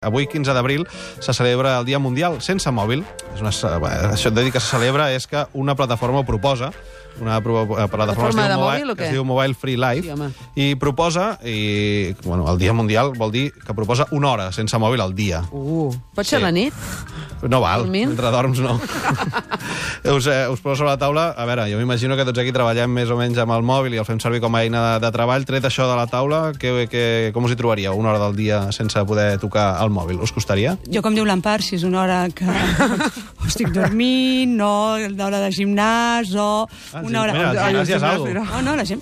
Avui, 15 d'abril, se celebra el Dia Mundial sense mòbil. Això et de dir que se celebra és que una plataforma ho proposa, una plataforma que es diu Mobile Free Life, i proposa, el Dia Mundial vol dir que proposa una hora sense mòbil al dia. Pot ser la nit? No val, mentre dorms no. Us poso sobre la taula. A veure, jo m'imagino que tots aquí treballem més o menys amb el mòbil i el fem servir com a eina de treball. Tret això de la taula, com us hi trobaríeu una hora del dia sense poder tocar el mòbil? Us costaria? Jo, com diu l'Empar, si és una hora que estic dormint, no, l'hora de gimnàs, o una hora... Mira, el gimnàs ja és algo. No, la gent...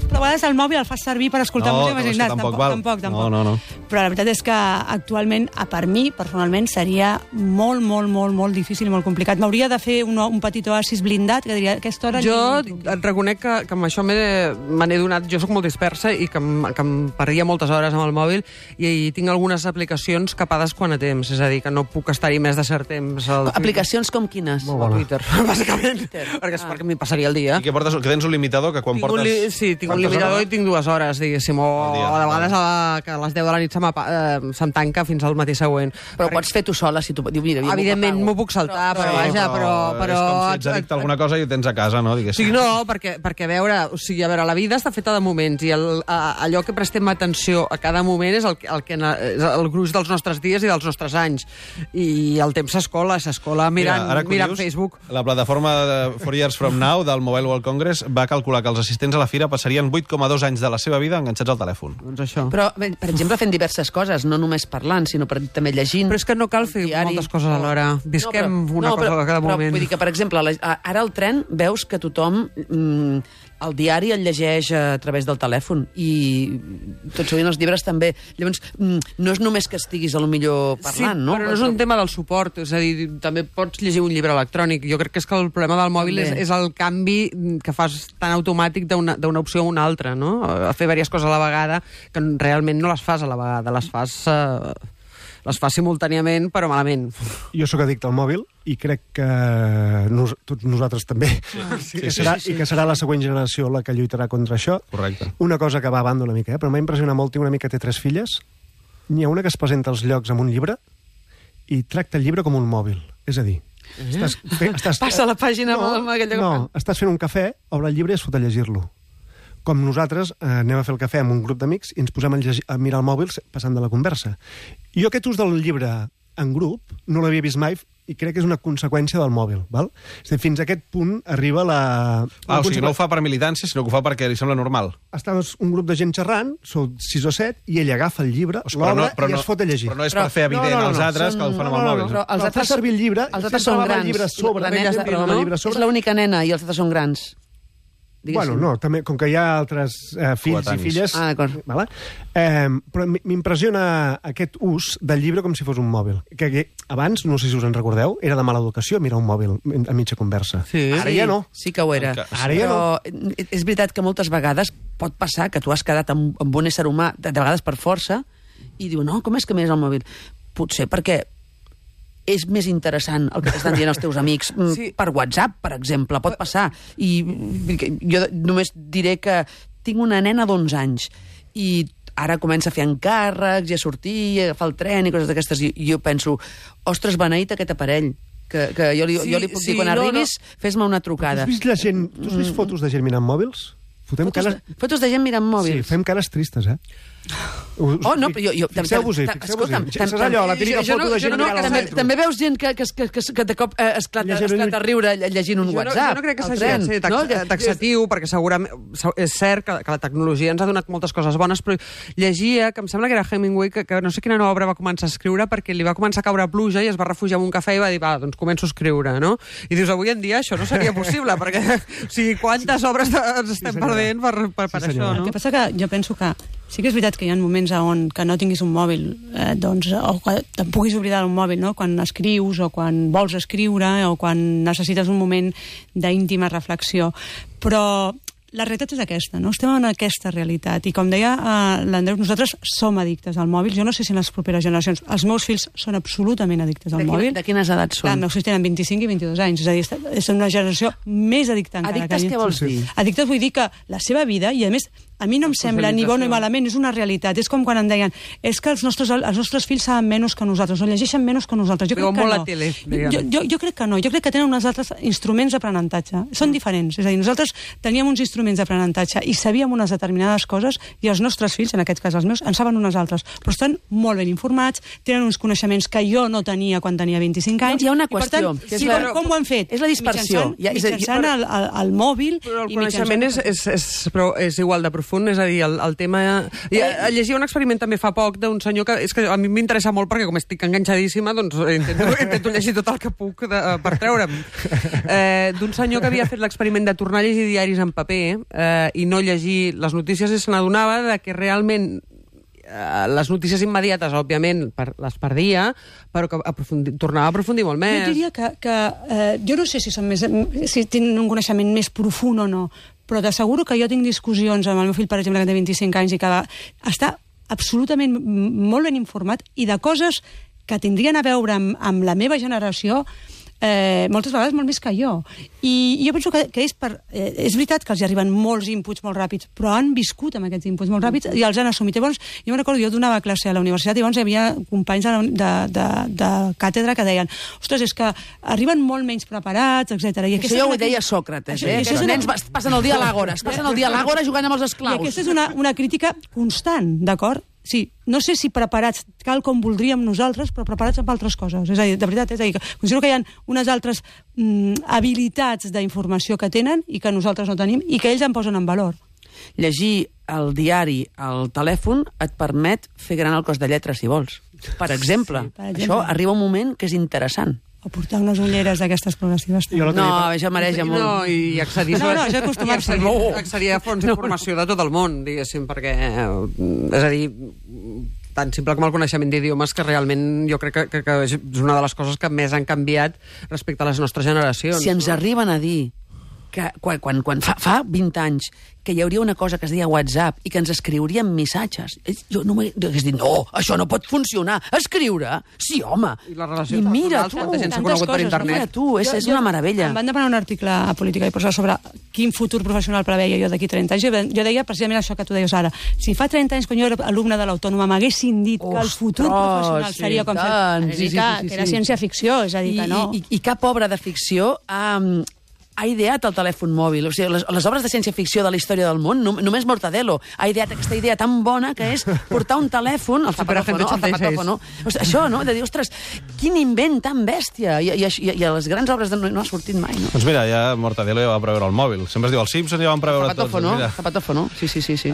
Però a vegades el mòbil el fas servir per escoltar música. No, tampoc val. No. Però la veritat és que actualment, per mi, personalment, seria molt difícil i molt complicat. M'hauria de fer un petit oasis blindat, que diria, aquesta hora... Jo et reconec que amb això me n'he donat... Jo sóc molt dispersa i que em perdia moltes hores amb el mòbil i tinc algunes aplicacions capades quant a temps, és a dir, que no puc estar-hi més de cert temps. Aplicacions com quines? Twitter, bàsicament, perquè m'hi passaria el dia. I què portes? Que tens un limitador que quan portes... Sí, tinc un limitador i tinc 2 hores, diguéssim, o de vegades que a les 10 de la nit se'm tanca fins al matí següent. Però pots fer tu sola, si tu dius, mira... Evidentment m'ho puc saltar, però vaja, però... És com si ets addicte a alguna cosa i ho tens a casa, no? Sí, no, perquè a veure, la vida està feta de moments i allò que prestem atenció a cada moment és el gruix dels nostres dies i dels nostres anys. I el temps s'escola mirant Facebook. La plataforma 4 Years From Now del Mobile World Congress va calcular que els assistents a la fira passarien 8,2 anys de la seva vida enganxats al telèfon. Doncs això. Però, per exemple, fent diverses coses, no només parlant, sinó també llegint... Però és que no cal fer moltes coses alhora. Visquem una cosa a cada moment. Vull dir que, per exemple, ara al tren veus que tothom el diari el llegeix a través del telèfon i tot sovint els llibres també. Llavors, no és només que estiguis a lo millor parlant, no? Però no és un tema del suport, és a dir, també pots llegir un llibre electrònic. Jo crec que és que el problema del mòbil és el canvi que fas tan automàtic d'una opció a una altra, no? A fer diverses coses a la vegada que realment no les fas a la vegada, les fas simultàniament, però malament. Jo sóc addicte al mòbil i crec que tots nosaltres també. I que serà la següent generació la que lluitarà contra això. Correcte. Una cosa que va a banda una mica, però m'ha impressionat molt, tinc una amica que té 3 filles, n'hi ha una que es presenta als llocs amb un llibre i tracta el llibre com un mòbil. És a dir, passa la pàgina amb aquell lloc. No, estàs fent un cafè, obre el llibre i es fot a llegir-lo. Com nosaltres anem a fer el cafè amb un grup d'amics i ens posem a mirar el mòbil passant de la conversa. Jo aquest ús del llibre en grup no l'havia vist mai i crec que és una conseqüència del mòbil, val? És a dir, fins a aquest punt arriba la... o sigui, no ho fa per militància, sinó que ho fa perquè li sembla normal. Estàs un grup de gent xerrant, sou 6 o 7, i ell agafa el llibre, l'obre i es fot a llegir. Però no és per fer evident als altres que el fan amb el mòbil. Però els altres servir el llibre, els altres són grans. És l'única nena i els altres són grans. Bueno, no, també, com que hi ha altres fills i filles... Ah, d'acord. Però m'impressiona aquest ús del llibre com si fos un mòbil. Que abans, no sé si us en recordeu, era de mala educació mirar un mòbil a mitja conversa. Ara ja no. Sí que ho era. Ara ja no. Però és veritat que moltes vegades pot passar que tu has quedat amb un ésser humà, de vegades per força, i diu, no, com és que mires el mòbil? Potser perquè és més interessant el que t'estan dient els teus amics per WhatsApp, per exemple, pot passar. I jo només diré que tinc una nena d'11 anys i ara comença a fer encàrrecs i a sortir, i a agafar el tren i coses d'aquestes, i jo penso, ostres, beneït aquest aparell, que jo li puc dir, quan arribis, fes-me una trucada. Tu has vist fotos de gent mirant mòbils? Fotos de gent mirant mòbils? Sí, fem cares tristes, Oh, no, però jo... Fixeu-vos-hi. És allò, la típica foto de gent mirant al metro. També veus gent que de cop esclata a riure llegint un WhatsApp. Jo no crec que s'hagi de ser taxatiu, perquè segurament és cert que la tecnologia ens ha donat moltes coses bones, però llegia, que em sembla que era Hemingway, que no sé quina nova obra va començar a escriure perquè li va començar a caure pluja i es va refugiar en un cafè i va dir, doncs començo a escriure, no? I dius, avui en dia això no seria possible, perquè, o sigui, quantes obres ens estem perdent per això, no? El que passa que jo penso que sí que és veritat que hi ha moments on que no tinguis un mòbil, o que te'n puguis oblidar d'un mòbil, no? Quan escrius o quan vols escriure o quan necessites un moment d'íntima reflexió. Però la realitat és aquesta, no? Estem en aquesta realitat. I com deia l'Andreu, nosaltres som addictes al mòbil. Jo no sé si en les properes generacions... Els meus fills són absolutament addictes al mòbil. De quines edats són? Els meus fills tenen 25 i 22 anys. És a dir, és una generació més addicta encara. Addictes què vols dir? Addictes vull dir que la seva vida, i a més a mi no em sembla ni bo ni malament, és una realitat. És com quan em deien, és que els nostres fills saben menys que nosaltres, o llegeixen menys que nosaltres. Jo crec que no. Jo crec que no. Jo crec que tenen uns altres instruments d'aprenentatge. Són diferents. És a dir, nosaltres teníem uns instruments d'aprenentatge i sabíem unes determinades coses i els nostres fills, en aquest cas els meus, en saben unes altres. Però estan molt ben informats, tenen uns coneixements que jo no tenia quan tenia 25 anys. Hi ha una qüestió. Com ho han fet? És la dispersió. Mitjançant el mòbil. Però el coneixement és igual de profund, és a dir, el tema... Llegia un experiment també fa poc d'un senyor que... És que a mi m'interessa molt perquè com estic enganxadíssima, doncs intento llegir tot el que puc per treure'm. D'un senyor que havia fet l'experiment de tornar a llegir diaris en paper i no llegir les notícies i se n'adonava que realment les notícies immediates, òbviament, les perdia, però que tornava a aprofundir molt més. Jo diria que jo no sé si tenen un coneixement més profund o no, però t'asseguro que jo tinc discussions amb el meu fill, per exemple, que té 25 anys i que està absolutament molt ben informat i de coses que tindrien a veure amb la meva generació moltes vegades molt més que jo. I jo penso que és veritat que els arriben molts inputs molt ràpids, però han viscut amb aquests inputs molt ràpids i els han assumit. Llavors, jo me'n recordo, jo donava classe a la universitat i llavors hi havia companys de càtedra que deien, ostres, és que arriben molt menys preparats, etc. Això ja ho deia Sòcrates, que els nens passen el dia a l'àgora, jugant amb els esclaus. I aquesta és una crítica constant, d'acord? Sí, no sé si preparats cal com voldríem nosaltres, però preparats amb altres coses. És a dir, de veritat, considero que hi ha unes altres habilitats d'informació que tenen i que nosaltres no tenim i que ells en posen en valor. Llegir el diari al telèfon et permet fer gran el cos de lletres, si vols. Per exemple, això arriba un moment que és interessant. O portar unes ulleres d'aquestes progressives. No, això mereix molt. No, i accedir a fonts d'informació de tot el món, diguéssim, perquè, és a dir, tan simple com el coneixement d'idiomes, que realment jo crec que és una de les coses que més han canviat respecte a les nostres generacions. Si ens arriben a dir que quan fa 20 anys que hi hauria una cosa que es deia WhatsApp i que ens escriurien missatges, jo no m'hagués dit, no, això no pot funcionar. Escriure? Sí, home. I mira tu, quanta gent s'ha conegut per internet. Mira tu, és una meravella. Em van demanar un article a Política i Posar sobre quin futur professional preveia jo d'aquí 30 anys. Jo deia precisament això que tu deies ara. Si fa 30 anys, quan jo era alumne de l'Autònoma, m'haguessin dit que el futur professional seria com... que era ciència-ficció, és a dir, que no. I cap obra de ficció ha ideat el telèfon mòbil. O sigui, les obres de ciència-ficció de la història del món, només Mortadelo ha ideat aquesta idea tan bona que és portar un telèfon, el zapatófono, això, no? De dir, ostres, quin invent tan bèstia! I a les grans obres no ha sortit mai, no? Doncs mira, ja Mortadelo ja va preveure el mòbil. Sempre es diu, els Simpsons ja van preveure tots. Zapatófono, sí.